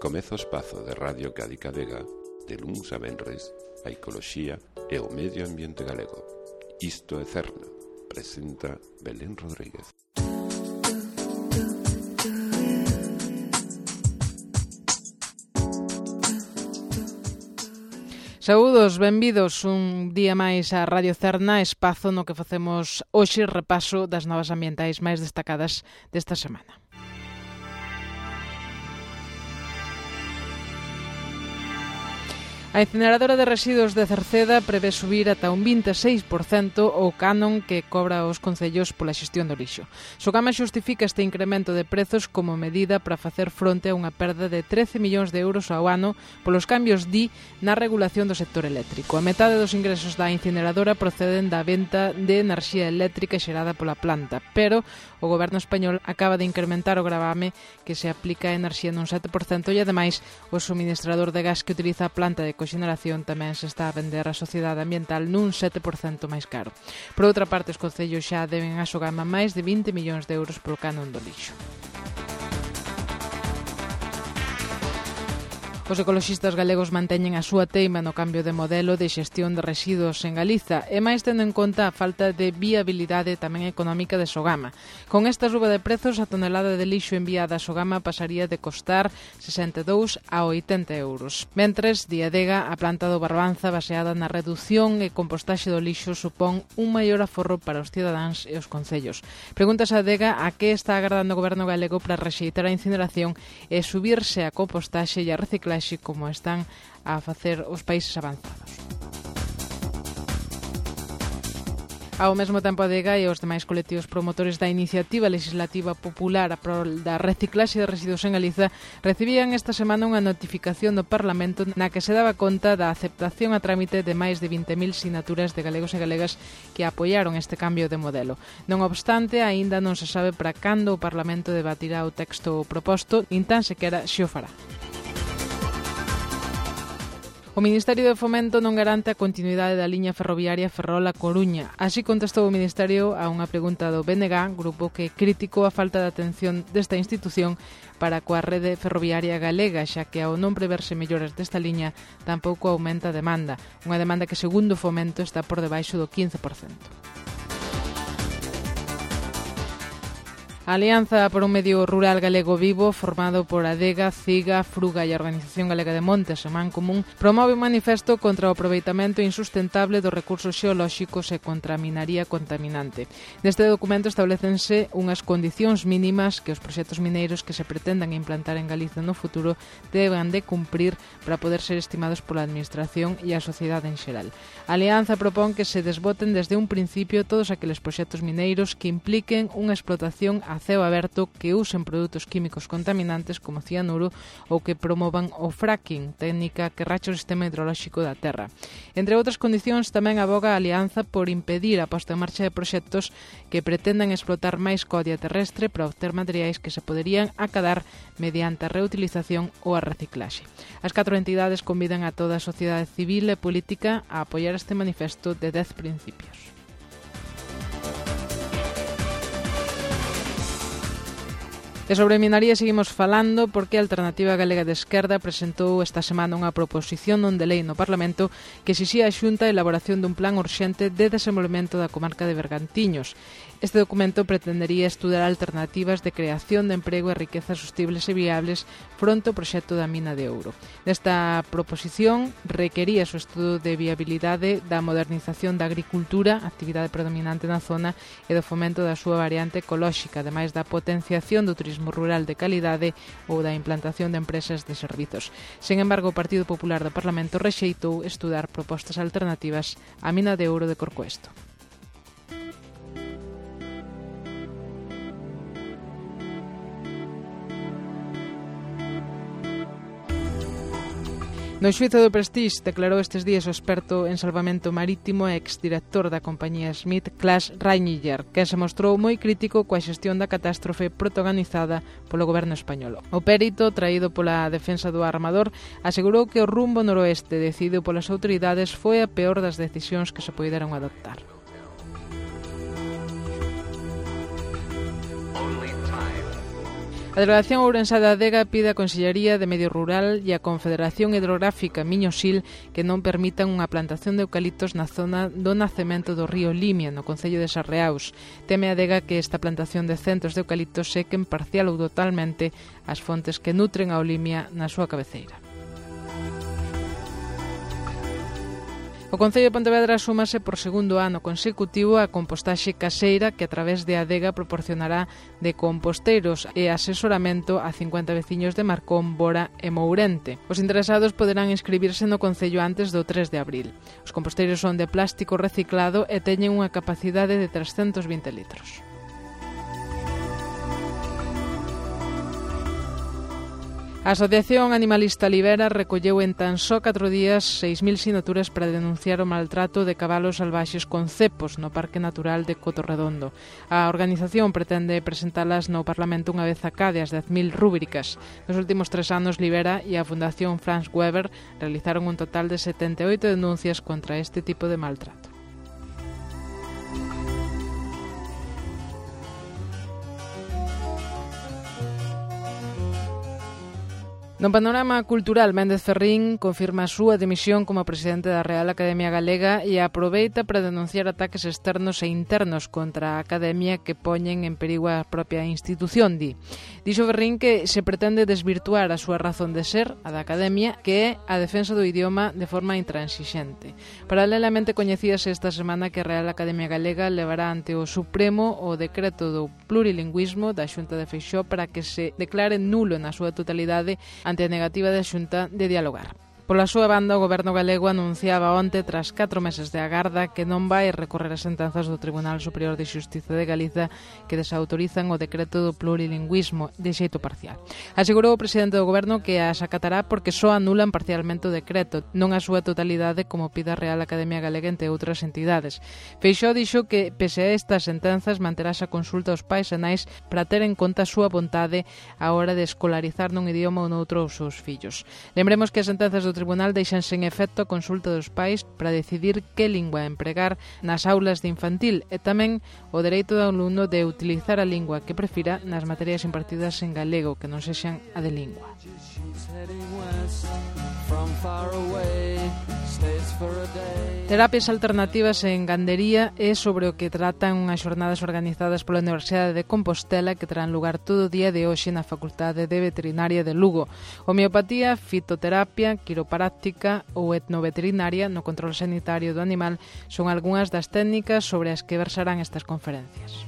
Comeza o espazo de Radio Cádiz Vega, de luns a venres, a ecoloxía e o medio ambiente galego. Isto é Cerna, presenta Belén Rodríguez. Saúdos, benvidos un día máis a Radio Cerna, espazo no que facemos hoxe repaso das novas ambientais máis destacadas desta semana. A incineradora de residuos de Cerceda prevé subir ata un 26% o canon que cobra os concellos pola xestión do lixo. Sogama xustifica este incremento de prezos como medida para facer fronte a unha perda de 13 millóns de euros ao ano polos cambios na regulación do sector eléctrico. A metade dos ingresos da incineradora proceden da venta de enerxía eléctrica xerada pola planta, pero o goberno español acaba de incrementar o gravame que se aplica a enerxía nun 7% e, ademais, o suministrador de gas que utiliza a planta de coxeneración tamén se está a vender á sociedade ambiental nun 7% máis caro. Por outra parte, os concellos xa deben a Sogama máis de 20 millóns de euros polo canon do lixo. Os ecoloxistas galegos manteñen a súa teima no cambio de modelo de xestión de residuos en Galiza e máis tendo en conta a falta de viabilidade tamén económica de Sogama. Con esta suba de prezos, a tonelada de lixo enviada a Sogama pasaría de costar 62 a 80 euros. Mentres, Diadega, a planta do Barbanza baseada na redución e compostaxe do lixo supón un maior aforro para os cidadáns e os concellos. Pregúntase a Adega a que está agardando o goberno galego para rexeitar a incineración e subirse a compostaxe e a reciclaxe como están a facer os países avanzados. Ao mesmo tempo, a DEGA e os demais colectivos promotores da iniciativa legislativa popular a prol da reciclaxe de residuos en Galiza recibían esta semana unha notificación do Parlamento na que se daba conta da aceptación a trámite de máis de 20.000 sinaturas de galegos e galegas que apoiaron este cambio de modelo. Non obstante, aínda non se sabe para cando o Parlamento debatirá o texto proposto, nin tan sequera xe o fará. O Ministerio de Fomento non garante a continuidade da liña ferroviaria Ferrol-A Coruña. Así contestou o Ministerio a unha pregunta do BNG, grupo que criticou a falta de atención desta institución para coa rede ferroviaria galega, xa que ao non preverse melloras desta liña tampouco aumenta a demanda, unha demanda que segundo o Fomento está por debaixo do 15%. A Alianza por un Medio Rural Galego Vivo, formado por Adega, CIGA, Fruga e a Organización Galega de Montes e Mancomún, promove un manifesto contra o aproveitamento insustentable dos recursos xeolóxicos e contra a minaría contaminante. Neste documento establecense unhas condicións mínimas que os proxectos mineiros que se pretendan implantar en Galiza no futuro deban de cumprir para poder ser estimados pola Administración e a sociedade en xeral. A Alianza propón que se desboten desde un principio todos aqueles proxectos mineiros que impliquen unha explotación a ceo aberto, que usen produtos químicos contaminantes como cianuro ou que promovan o fracking, técnica que racha o sistema hidrolóxico da terra. Entre outras condicións, tamén aboga a Alianza por impedir a posta en marcha de proxectos que pretendan explotar máis codia terrestre para obter materiais que se poderían acadar mediante a reutilización ou a reciclaxe. As 4 entidades convidan a toda a sociedade civil e política a apoiar este manifesto de 10 principios. E sobre minaría seguimos falando porque a Alternativa Galega de Esquerda presentou esta semana unha proposición non de lei no Parlamento que exixía a Xunta a elaboración dun plan urxente de desenvolvemento da comarca de Bergantiños. Este documento pretendería estudar alternativas de creación de emprego e riquezas sostibles e viables fronte ao proxecto da mina de ouro. Nesta proposición requería o estudo de viabilidade da modernización da agricultura, actividade predominante na zona, e do fomento da súa variante ecolóxica, ademais da potenciación do turismo rural de calidade ou da implantación de empresas de servizos. Sen embargo, o Partido Popular do Parlamento rexeitou estudar propostas alternativas á mina de ouro de Corcoesto. No xuízo do Prestige declarou estes días o experto en salvamento marítimo e exdirector da compañía Smith, Klaas Reiniger, que se mostrou moi crítico coa xestión da catástrofe protagonizada polo goberno español. O perito, traído pola defensa do armador, asegurou que o rumbo noroeste decidido polas autoridades foi a peor das decisións que se poideron adoptar. A Delegación Ourensá de Adega pide a Consellería de Medio Rural e a Confederación Hidrográfica Miño-Sil que non permitan unha plantación de eucaliptos na zona do nacemento do río Limia, no concello de Sarreaus. Teme a Adega que esta plantación de centos de eucaliptos sequen parcial ou totalmente as fontes que nutren ao Limia na súa cabeceira. O Concello de Pontevedra súmase por segundo ano consecutivo a compostaxe caseira que a través de Adega proporcionará de composteiros e asesoramento a 50 veciños de Marcón, Bora e Mourente. Os interesados poderán inscribirse no Concello antes do 3 de abril. Os composteiros son de plástico reciclado e teñen unha capacidade de 320 litros. A Asociación Animalista Libera recolleu en tan só 4 días 6.000 sinaturas para denunciar o maltrato de cabalos salvaxes con cepos no Parque Natural de Cotorredondo. A organización pretende presentalas no Parlamento unha vez a cada as 10.000 rúbricas. Nos últimos 3 anos, Libera e a Fundación Franz Weber realizaron un total de 78 denuncias contra este tipo de maltrato. No panorama cultural, Méndez Ferrín confirma a súa dimisión como presidente da Real Academia Galega e aproveita para denunciar ataques externos e internos contra a Academia que poñen en perigo a propia institución, di. Dixo Ferrín que se pretende desvirtuar a súa razón de ser, a da Academia, que é a defensa do idioma de forma intransigente. Paralelamente coñecíase esta semana que a Real Academia Galega levará ante o Supremo o decreto do plurilingüismo da Xunta de Feixóo para que se declare nulo na súa totalidade ante a negativa da Xunta de dialogar. Pola súa banda, o Goberno galego anunciaba onte, tras 4 meses de agarda, que non vai recorrer as sentenzas do Tribunal Superior de Xustiza de Galiza que desautorizan o decreto do plurilingüismo de xeito parcial. Asegurou o presidente do Goberno que as acatará porque só anulan parcialmente o decreto, non a súa totalidade como pide a Real Academia Galega entre outras entidades. Feixóo dixo que, pese a estas sentenzas, manterás a consulta aos pais e nais para ter en conta a súa vontade a hora de escolarizar nun idioma ou noutro os seus fillos. Lembremos que as sentenzas do Tribunal deixan sen efecto a consulta dos pais para decidir que lingua empregar nas aulas de infantil e tamén o dereito do alumno de utilizar a lingua que prefira nas materias impartidas en galego que non sexan a de lingua. Terapias alternativas en gandería é sobre o que tratan unhas xornadas organizadas pola Universidade de Compostela que terán lugar todo o día de hoxe na Facultade de Veterinaria de Lugo. Homeopatía, fitoterapia, quiropráctica ou etnoveterinaria no control sanitario do animal son algunhas das técnicas sobre as que versarán estas conferencias.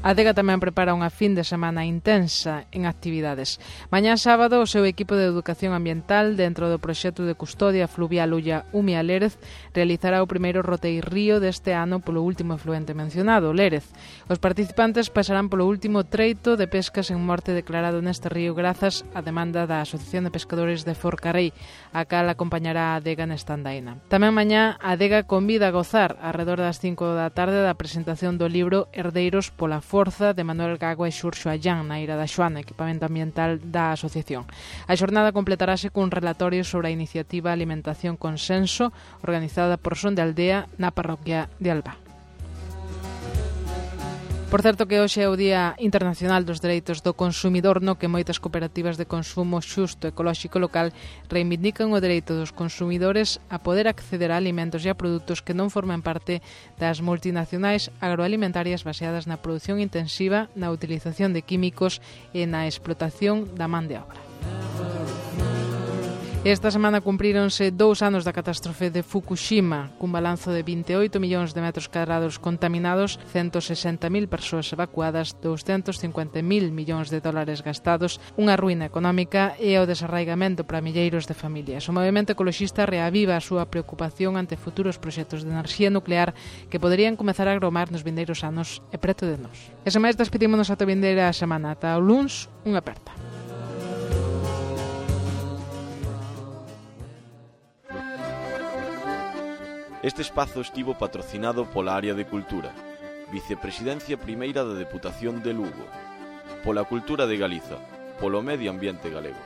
A Adega tamén prepara unha fin de semana intensa en actividades. Mañá sábado, o seu equipo de educación ambiental, dentro do proxecto de custodia fluvial Ulla Umia Lérez, realizará o primeiro roteirrío deste ano polo último efluente mencionado, Lérez. Os participantes pasarán polo último treito de pescas en morte declarado neste río grazas á demanda da Asociación de Pescadores de Forcarei, a cal acompañará a Adega nesta andaina. Tamén mañá, a Adega convida a gozar arredor das 5 da tarde da presentación do libro Herdeiros pola Forza de Manuel Gago e Xurxo Allán na Ira da Xoana, equipamento ambiental da asociación. A xornada completarase cun relatorio sobre a iniciativa Alimentación Consenso organizada por Son de Aldea na parroquia de Alba. Por certo que hoxe é o Día Internacional dos Dereitos do Consumidor, no que moitas cooperativas de consumo xusto ecolóxico local reivindican o dereito dos consumidores a poder acceder a alimentos e a produtos que non formen parte das multinacionais agroalimentarias baseadas na produción intensiva, na utilización de químicos e na explotación da man de obra. Esta semana cumpríronse 2 anos da catástrofe de Fukushima, cun balanzo de 28 millóns de metros cadrados contaminados, 160.000 persoas evacuadas, 250.000 millóns de dólares gastados, unha ruína económica e o desarraigamento para milleiros de familias. O movemento ecoloxista reaviva a súa preocupación ante futuros proxectos de enerxía nuclear que poderían comezar a agromar nos vindeiros anos e preto de nós. E sen máis, despedímonos ata a vindeira semana. Ata o luns, unha aperta. Este espazo estivo patrocinado pola Área de Cultura, Vicepresidencia Primeira da Deputación de Lugo, pola Cultura de Galiza, polo Medio Ambiente Galego.